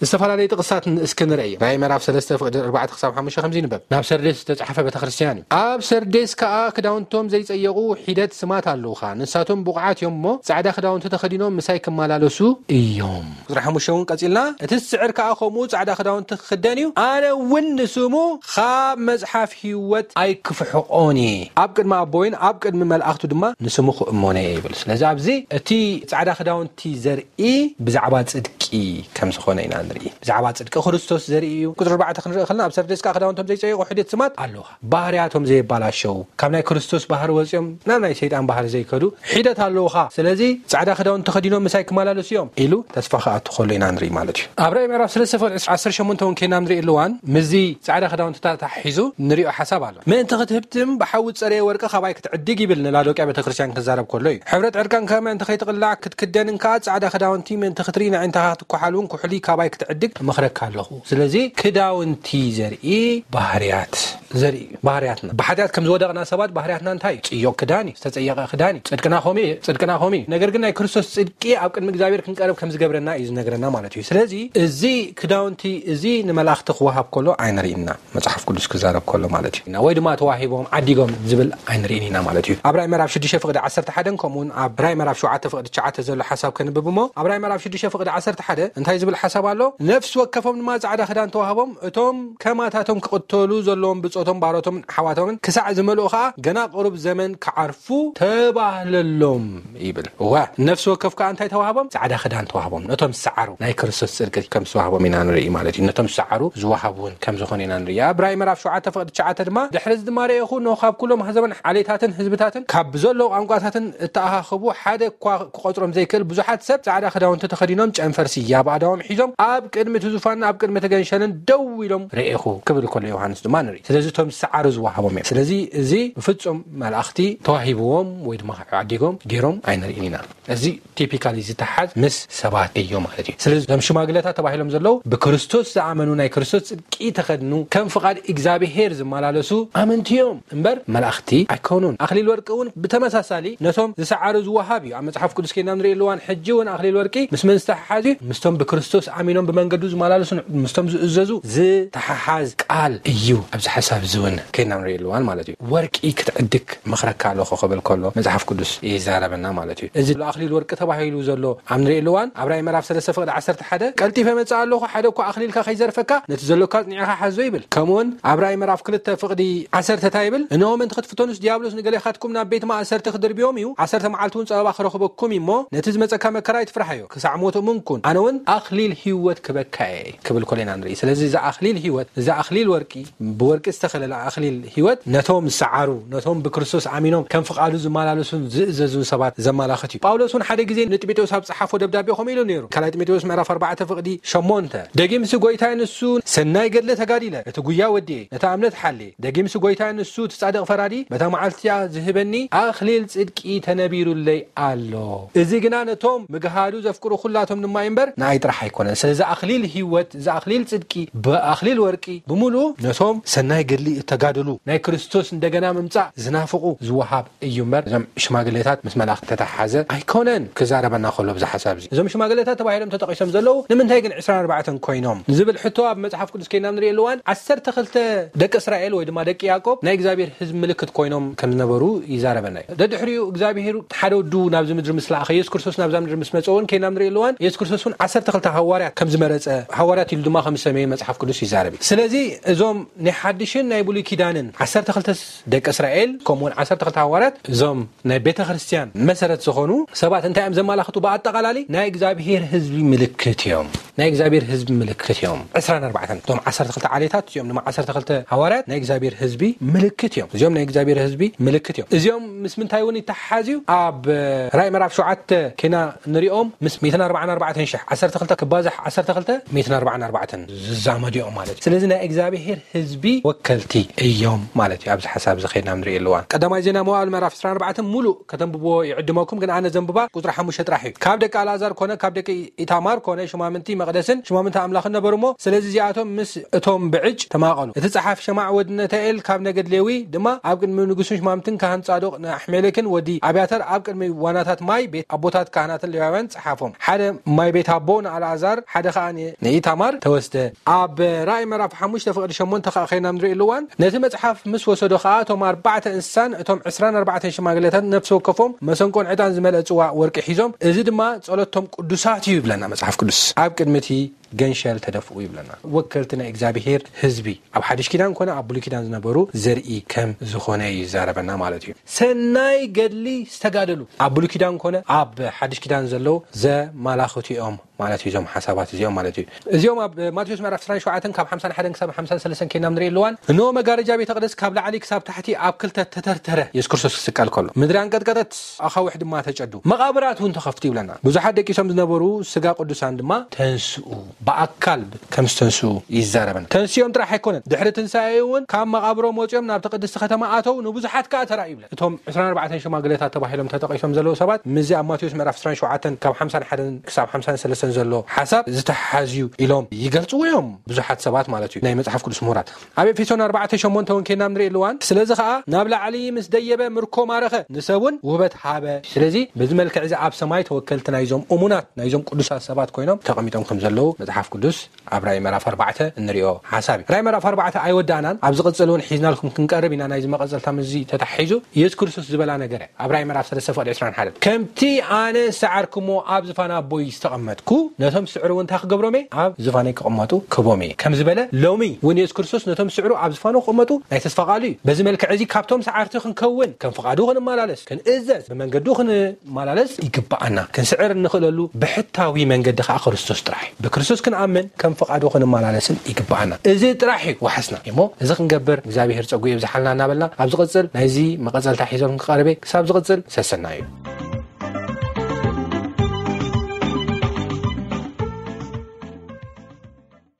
ዝተፈላለዩ ጥቕሳት እስኪ ንርኢ። ራእይ ምዕራፍ ሰለስተ ፍቕዲ ኣርባዕተ ክሳብ ሓሙሽተ ከምዚ ይንበብ። ናብ ሰርዴስ ዝተጻሕፈ ቤተክርስትያን እዩ። ኣብ ሰርዴስ ከኣ ክዳውንቶም ዘይጸየቑ ሒደት ስማት ኣለውኻ። ንሳቶም ብቑዓት እዮም እሞ ጻዕዳ ክዳውንቲ ተኸዲኖም ምሳይ ክመላለሱ እዮም። ቁጽሪ ሓሙሽተ እውን ቀጺልና፣ እቲ ዝስዕር ከኣ ከምኡ ጻዕዳ ክዳውንቲ ክኽደን እዩ። ኣነ እውን ንስሙ ካብ መጽሓፍ ህይወት ኣይክፍሕቖን እየ። ኣብ ቅድሚ ኣቦይን ኣብ ቅድሚ መላእኽቱ ድማ ንስሙ ክእመኖ እየ ይብል። ስለዚ ኣብዚ እቲ ጻዕዳ ክዳውንቲ ዘርኢ ብዛዕባ ጽድቂ ከም ዝኾነ ኢና ንርኢ። ብዛዕባ ጽድቂ ክርስቶስ ዘርኢ እዩ። ቁጽሪ ኣርባዕተ ክንርኢ ከለና ኣብ ሰርዴስ ከኣ ክዳውንቶም ዘይጸየቑ ሒደት ስማት ኣለውኻ። ባህርያቶም ዘየባላሸው፣ ካብ ናይ ክርስቶስ ባህሪ ወጺኦም ናብ ናይ ሰይጣን ባህሪ ዘይከዱ ሒደት ኣለውኻ። ስለዚ ጻዕዳ ክዳውንቲ ተኸዲኖም ምሳይ ክመላለሱ እዮም ኢሉ ተስፋ ክኣቱ ከሎ ኢና ንርኢ ማለት እዩ። ኣብ ራእይ ምዕራፍ ሰለስተ ፍቕዲ ዓሰርተ ሸሞንተ እውን ከይና ንርኢ ኣለዋን ምስዚ ጻዕዳ ክዳውንቲ ተታሒዙ ንሪኦ ሓሳብ ኣሎ። ምእንቲ ክትህብትም ብሓዊ ዝጸረየ ወርቂ ካባይ ክትዕድግ ይብል ንላዶቅያ ቤተክርስትያን ክዛረብ ከሎ እዩ። ሕብረት ዕርቃንካ ምእንቲ ከይትቕላዕ ክትክደንን ከኣ ጻዕዳ ክዳውንቲ ምእንቲ ክትርኢ ንኣዒንትኻ ክትኳሓል እውን ኩሕሊ ካባይ ክትዕድግ እመኽረካ ኣለኹ። ስለዚ ክዳውንቲ ዘርኢ ባህርያት ዘርኢ እዩ። ባህርያትና ብሓጢኣት ከም ዝወደቕና ሰባት ባህርያትና እንታይ እዩ? ጽዮቕ ክዳን እዩ። ዝተጸየቐ ክዳን እዩ። ጽድቅና ከምኡ እዩ። ጽድቅና ከምኡ እዩ። ነገር ግን ናይ ክርስቶስ ጽድቂ ኣብ ቅድሚ እግዚኣብሔር ክንቀርብ ከም ዝገብረና እዩ ዝነግረና ማለት እዩ። ስለዚ እዚ ክዳውንቲ እዚ ንመላእኽቲ ክወሃብ ከሎ ኣይንርኢና። መጽሓፍ ቅዱስ ክዛረብ ከሎ ማለት እዩ። ወይ ድማ ተዋሂቦም ዓዲጎም ዝብል ኣይንርእን ኢና ማለት እዩ። ኣብ ራእይ ምዕራፍ ሽዱሽተ ፍቕዲ ዓሰርተ ሓደን ከምኡውን ኣብ ራእይ ምዕራፍ ሸውዓተ ፍቕዲ ትሽዓተ ዘሎ ሓሳብ ከንብብ እሞ ኣብ ራእይ ምዕራፍ ሽዱሽተ ፍቕዲ ዓሰርተ ሓደ እንታይ ዝብል ሓሳብ ኣሎ? ነፍሲ ወከፎም ድማ ጻዕዳ ክዳን ተዋህቦም እቶም ከማታቶም ክቕተሉ ዘለዎም ብጾቶም ባሮቶምን ኣሕዋቶምን ክሳዕ ዝመልኡ ኸኣ ገና ቅሩብ ዘመን ክዓርፉ ተባህለሎም ይብል። እዋ ነፍሲ ወከፍ ከኣ እንታይ ተዋህቦም? ጻዕዳ ክዳን ተዋህቦም። ነቶም ዝሰዓሩ ናይ ክርስቶስ ጽድቂ ከም ዝተዋህቦም ኢና ንርኢ ማለት እዩ። ነቶም ዝሰዓሩ ዝወሃብ እውን ከም ዝኾነ ኢና ንርኢ። ኣብ ራእይ ምዕራፍ ሸውዓተ ፍቕዲ ትሽዓተ ድማ ድሕሪ እዚ ድማ ረኤኹ፣ እነሆ ካብ ኩሎም ኣህዛብን ዓሌታትን ህዝብታትን ካብ ብዘለዉ ቋንቋታትን እተኣኻኸቡ ሓደ እኳ ክቖጽሮም ዘይክእል ብዙሓት ሰብ ጻዕዳ ክዳውንቲ ተኸዲኖም ጨንፈር ስያብ ኣእዳዎም ሒዞም ኣብ ቅድሚ እቲ ዙፋንን ኣብ ቅድሚ እቲ ገንሸልን ደው ኢሎም ርኤኹ ክብል ከሎ ዮሃንስ ድማ ንርኢ። ስለዚ እቶም ዝሰዓሩ ዝወሃቦም እዮም። ስለዚ እዚ ብፍጹም መላእኽቲ ተዋሂብዎም ወይ ድማ ዓዲጎም ገይሮም ኣይንርእን ኢና። እዚ ቲፒካሊ ዝተሓዝ ምስ ሰባት እዩ ማለት እዩ። ስለዚ እዞም ሽማግለታት ተባሂሎም ዘለዉ ብክርስቶስ ዝኣመኑ ናይ ክርስቶስ ጽድቂ ተኸድኑ ከም ፍቓድ እግዚኣብሄር ዝመላለሱ ኣመንቲ እዮም እምበር መላእኽቲ ኣይኮኑን። ኣኽሊል ወርቂ እውን ብተመሳሳሊ ነቶም ዝሰዓሩ ዝወሃብ እዩ። ኣብ መጽሓፍ ቅዱስ ከይና ንርእየሉ እዋን ሕጂ እውን ኣኽሊል ወርቂ ምስ መን ዝተሓሓዝ እዩ? ምስቶም ብክርስቶስ ኣሚኖም ብመንገዱ ዝመላለሱ ምስቶም ዝእዘዙ ዝተሓሓዝ ቃል እዩ። ኣብዚ ሓሳብ እዚ እውን ከይና ንርእየሉ እዋን ማለት እዩ። ወርቂ ክትዕድግ መኽረካ ኣለኹ ክብል ከሎ መጽሓፍ ቅዱስ ይዛረበና ማለት እዩ። እዚ ኣኽሊል ወርቂ ተባሂሉ ዘሎ ኣብ ንርእየሉ እዋን ኣብ ራእይ ምዕራፍ ሰለስተ ፍቕዲ ዓሰርተ ሓደ ቀልጢፈ መጽእ ኣለኹ፣ ሓደ እኳ ኣኽሊልካ ከይዘርፈካ ነቲ ዘሎካ ኣጽኒዕኻ ሓዞ ይብል። ከምኡውን ኣብ ራእይ ምዕራፍ ክልተ ፍቕዲ ዓሰርተ እንታይ ይብል? እንሆ ምእንቲ ክትፍተኑስ ዲያብሎስ ንገሌኻትኩም ናብ ቤት ማእሰርቲ ክድርብዮም እዩ፣ ዓሰርተ መዓልቲ እውን ጸበባ ክረኽበኩም እዩ እሞ ነቲ ዝመጸካ መከራ ኣይትፍርሓዮ፣ ክሳዕ ሞት እሙን ኩን፣ ኣነ እውን ኣኽሊል ህይወት ክበካ እየ ክብል ከሎ ኢና ንርኢ። ስለዚ እዚ ኣኽሊል ህይወት፣ እዚ ኣኽሊል ወርቂ፣ ብወርቂ ዝተኸለለ ኣኽሊል ህይወት ነቶም ዝሰዓሩ፣ ነቶም ብክርስቶስ ኣሚኖም ከም ፍቓዱ ዝመላለሱን ዝእዘዙን ሰባት ዘመላኽት እዩ። ጳውሎስ እውን ሓደ ግዜ ንጢሞቴዎስ ኣብ ጸሓፎ ደብዳቤ ከምኡ ኢሉ ነይሩ። ካልኣይ ጢሞቴዎስ ምዕራፍ ኣርባዕተ ፍቕዲ ሸሞንተ፣ ደጊምሲ ጎይታይ ንሱ ሰናይ ገድለ ተጋዲለ፣ እቲ ጉያ ወዲኤ፣ ነታ እምነት ሓልየ። ደጊምሲ ጎይታይ ንሱ እቲ ጻድቕ ፈራዲ በታ መዓልቲ እቲኣ ዝህበኒ ኣኽሊል ጽድቂ ተነቢሩለይ ኣሎ። እዚ ግና ነቶም ምግሃዱ ዘፍቅሩ ኩላቶም ድማ እዩ እምበር ንኣይ ጥራሕ ኣይኮነን። ስለዚ ኣኽሊል ህይወት፣ እዚ ኣኽሊል ጽድቂ ብኣኽሊል ወርቂ ብምሉኡ ነቶም ሰናይ ገድሊ እተጋደሉ ናይ ክርስቶስ እንደገና ምምጻእ ዝናፍቑ ዝወሃብ እዩ እምበር እዞም ሽማግሌታት ምስ መላእኽቲ ተተሓሓዘ ኣይኮነን ክዛረበና ከሎ ብዚ ሓሳብ እዚ። እዞም ሽማግሌታት ተባሂሎም ተጠቒሶም ዘለዉ ንምንታይ ግን ዕስራን ኣርባዕተን ኮይኖም ዝብል ሕቶ ኣብ መጽሓፍ ቅዱስ ከይና ንርእየሉ እዋን ዓሰርተ ክልተ ደቂ እስራኤል ወይ ድማ ደቂ ያዕቆብ ናይ እግዚኣብሔር ህዝቢ ምልክት ኮይኖም ከም ዝነበሩ ይዛረበና እዩ። ደድሕሪኡ እግዚኣብሔር ሓደ ወዱ ናብዚ ምድሪ ምስ ለኣኸ፣ የሱስ ክርስቶስ ናብዛ ምድሪ ምስ መጸ እውን ከይና ንርእየሉ እዋን የሱስ ክርስቶስ እውን ዓሰርተ ክልተ ሃዋርያት ከም ዝመረጸ፣ ሃዋርያት ኢሉ ድማ ከም ዝሰመየ መጽሓፍ ቅዱስ ይዛረብ እዩ። ስለዚ እዞም ናይ ሓድሽን ናይ ብሉይ ኪዳንን ዓሰርተ ክልተ ደቂ እስራኤል ከምኡውን ዓሰርተ ክልተ ሃዋርያት እዞም ናይ ቤተ ክርስቲያን መሰረት ዝኾኑ ሰባት እንታይ እዮም ዘመላኽቱ? ብኣጠቓላሊ ናይ እግዚኣብሔር ህዝቢ ምልክት እዮም። ናይ እግዚኣብሔር ህዝቢ ምልክት እዮም። ዕስራን ኣርባዕተን እቶም ዓሰርተ ክልተ ዓሌታት እዚኦም ድማ ዓሰርተ ክልተ ሃዋርያት ናይ እግዚኣብሔር ህዝቢ ምልክት እዮም። እዚኦም ናይ እግዚኣብሔር ህዝቢ ምልክት እዮም። እዚኦም ምስ ምንታይ እውን ይተሓሓዝ እዩ? ኣብ ራእይ ምዕራፍ ሸውዓተ ከይና ንሪኦም ምስ ሚእትን ኣርባዓን ኣርባዕተን ሽሕ፣ ዓሰርተ ክልተ ክባዛሕ ዓሰርተ ክልተ ሚእትን ኣርባዓን ኣርባዕተን ዝዛመዱ እዮም ማለት እዩ። ስለዚ ናይ እግዚኣብሔር ህዝቢ ወከልቲ እዮም ማለት እዩ። ኣብዚ ሓሳብ እዚ ከይድና ንሪኦ ኣለዋን ቀዳማይ ዜና መዋዕል ምዕራፍ ዕስራን ኣርባዕተን ሙሉእ ከተንብብዎ ይዕድመኩም፣ ግን ኣነ ዘንብባ ቁፅሪ ሓሙሽተ ጥራሕ እዩ። ካብ ደቂ ኣልኣዛር ኮነ ካብ ደቂ ኢታማር ኮነ ሽማምንቲ መቕደስን ሽማምንቲ ኣምላኽን ነበሩ እሞ፣ ስለዚ እዚኣቶም ምስ እቶም ብዕጭ ተማቐሉ። እቲ ጸሓፊ ሸማዕ ወዲ ነታኤል ካብ ነገድ ሌዊ ድማ ኣብ ቅድሚ ንጉስን ሽማምትን ካህን ጻዶቅ ንኣሕሜሌክን ወዲ ኣብያተር ኣብ ቅድሚ ዋናታት ማይ ቤት ኣቦታት ካህናትን ሌዋውያን ጸሓፎም። ሓደ ማይ ቤት ኣቦ ንኣልኣዛር፣ ሓደ ኸኣ ን-፣ ንኢታማር ተወስደ። ኣብ ራእይ ምዕራፍ ሓሙሽተ ፍቕዲ ሸሞንተ ኸኣ ኸይና ንርኢ ኣለዋን። ነቲ መጽሓፍ ምስ ወሰዶ ኸኣ እቶም ኣርባዕተ እንስሳን እቶም ዕስራን ኣርባዕተን ሽማግሌታት ነፍሲ ወከፎም መሰንቆን ዕጣን ዝመልአ ጽዋእ ወርቂ ሒዞም፣ እዚ ድማ ጸሎቶም ቅዱሳት እዩ ይብለና መጽሓፍ ቅዱስ። ኣብ ቅድሚ እቲ ገንሸል ተደፍኡ ይብለና። ወከልቲ ናይ እግዚኣብሄር ህዝቢ ኣብ ሓድሽ ኪዳን ኮነ ኣብ ብሉይ ኪዳን ዝነበሩ ዘርኢ ከም ዝኾነ ይዛረበና ማለት እዩ። ሰናይ ገድሊ ዝተጋደሉ ኣብ ብሉይ ኪዳን ኮነ ኣብ ሓድሽ ኪዳን ዘለዉ ዘማላኽቱ እዮም ማለት እዩ። እዞም ሓሳባት እዚኦም ማለት እዩ። እዚኦም ኣብ ማቴዎስ ምዕራፍ ዕስራን ሸውዓተን ካብ ሓምሳን ሓደን ክሳብ ሓምሳን ሰለስተን ከይና ንርኢ ኣለዋን። እንሆ መጋረጃ ቤተ መቕደስ ካብ ላዕሊ ክሳብ ታሕቲ ኣብ ክልተ ተተርተረ። የሱስ ክርስቶስ ክስቀል ከሎ ምድሪ ኣንቀጥቀጠት፣ ኣኻውሕ ድማ ተጨዱ፣ መቓብራት እውን ተኸፍቱ ይብለና። ብዙሓት ደቂሶም ዝነበሩ ስጋ ቅዱሳን ድማ ተንስኡ፣ ብኣካል ከም ዝተንስኡ ይዛረበና። ተንስኦም ጥራሕ ኣይኮነን፣ ድሕሪ ትንሳኤ እውን ካብ መቓብሮም ወፂኦም ናብቲ ቅድስቲ ከተማ ኣተው፣ ንብዙሓት ከዓ ተራእዩ ይብለን። እቶም ዕስራን ኣርባዕተን ሽማግሌታት ተባሂሎም ተጠቒሶም ዘለዉ ሰባት ምስዚ ኣብ ማቴዎስ ምዕራፍ ዕስራን ሸውዓተን ካብ ሓምሳን ሓደን ክሳብ ሓምሳን ሰለስተን ዘሎ ሓሳብ ዝተሓሓዝ እዩ ኢሎም ይገልጽዎ እዮም ብዙሓት ሰባት ማለት እዩ፣ ናይ መጽሓፍ ቅዱስ ምሁራት። ኣብ ኤፌሶን ኣርባዕተ ሸሞንተ እውን ከይና ንርኢ ኣለዋን። ስለዚ ኸኣ ናብ ላዕሊ ምስ ደየበ ምርኮ ማረኸ፣ ንሰብ እውን ውህበት ሃበ። ስለዚ በዚ መልክዕ እዚ ኣብ ሰማይ ተወከልቲ ናይዞም እሙናት ናይዞም ቅዱሳት ሰባት ኮይኖም ተቐሚጦም ከም ዘለዉ መጽሓፍ ቅዱስ ኣብ ራእይ ምዕራፍ ኣርባዕተ እንሪኦ ሓሳብ እዩ። ራእይ ምዕራፍ ኣርባዕተ ኣይወዳእናን። ኣብ ዝቕጽል እውን ሒዝናልኩም ክንቀርብ ኢና። ናይዚ መቐጸልታ ምስዚ ተታሒዙ የሱስ ክርስቶስ ዝበላ ነገር እያ። ኣብ ራእይ ምዕራፍ ሰለስተ ፍቕዲ ዕስራን ሓደን፣ ከምቲ ኣነ ዝሰዓርኩሞ ኣብ ዝፋን ኣቦይ ዝተቐመጥኩ፣ ነቶም ዝስዕሩ እውን እንታይ ክገብሮም እየ? ኣብ ዝፋነይ ክቕመጡ ክህቦም እየ ከም ዝበለ፣ ሎሚ እውን የሱስ ክርስቶስ ነቶም ዝስዕሩ ኣብ ዝፋኑ ክቕመጡ ናይ ተስፋ ቃሉ እዩ። በዚ መልክዕ እዚ ካብቶም ሰዓርቲ ክንከውን፣ ከም ፍቓዱ ክንመላለስ፣ ክንእዘዝ፣ ብመንገዱ ክንመላለስ ይግብኣና። ክንስዕር እንኽእለሉ ብሕታዊ መንገዲ ከዓ ክርስቶስ ጥራሕ እዩ። ብክርስቶስ ክንኣምን፣ ከም ፍቓዱ ክንመላለስን ይግብኣና። እዚ ጥራሕ እዩ ዋሕስና እሞ፣ እዚ ክንገብር እግዚኣብሔር ጸጉ የብዝሓልና እናበልና፣ ኣብ ዝቕጽል ናይዚ መቐጸልታ ሒዞም ክቐርበ፣ ክሳብ ዝቕጽል ሰሰና እዩ።